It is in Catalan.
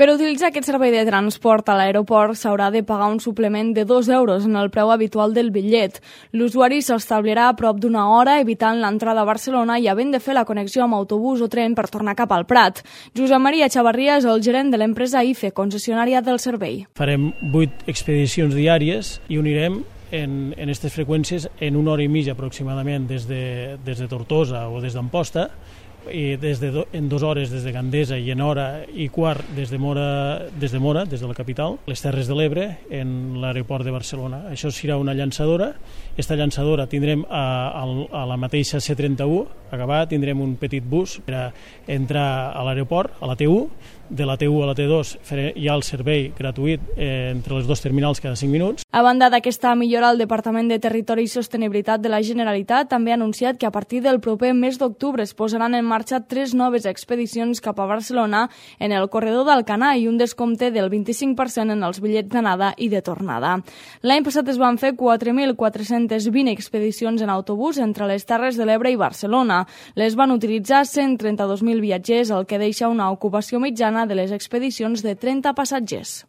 Per utilitzar aquest servei de transport a l'aeroport s'haurà de pagar un suplement de 2 euros en el preu habitual del bitllet. L'usuari s'establirà a prop d'una hora, evitant l'entrada a Barcelona i havent de fer la connexió amb autobús o tren per tornar cap al Prat. Josep Maria Chavarria és el gerent de l'empresa IFE, concessionària del servei. Farem 8 expedicions diàries i unirem en aquestes freqüències en una hora i mitja aproximadament des de Tortosa o des d'Amposta, i en 2 hores des de Gandesa i en hora i quart des de Mora, des de la capital, les Terres de l'Ebre, en l'aeroport de Barcelona. Això serà una llançadora. Aquesta llançadora tindrem a la mateixa C31 acabat, tindrem un petit bus per entrar a l'aeroport, a la T1. De la T1 a la T2 hi ha el servei gratuït entre les 2 terminals cada 5 minuts. A banda d'aquesta millora, el Departament de Territori i Sostenibilitat de la Generalitat també ha anunciat que a partir del proper mes d'octubre es posaran en marxa 3 noves expedicions cap a Barcelona en el corredor d'Alcanar i un descompte del 25% en els bitllets d'anada i de tornada. L'any passat es van fer 4.420 expedicions en autobús entre les Terres de l'Ebre i Barcelona. Les van utilitzar 132.000 viatgers, el que deixa una ocupació mitjana de les expedicions de 30 passatgers.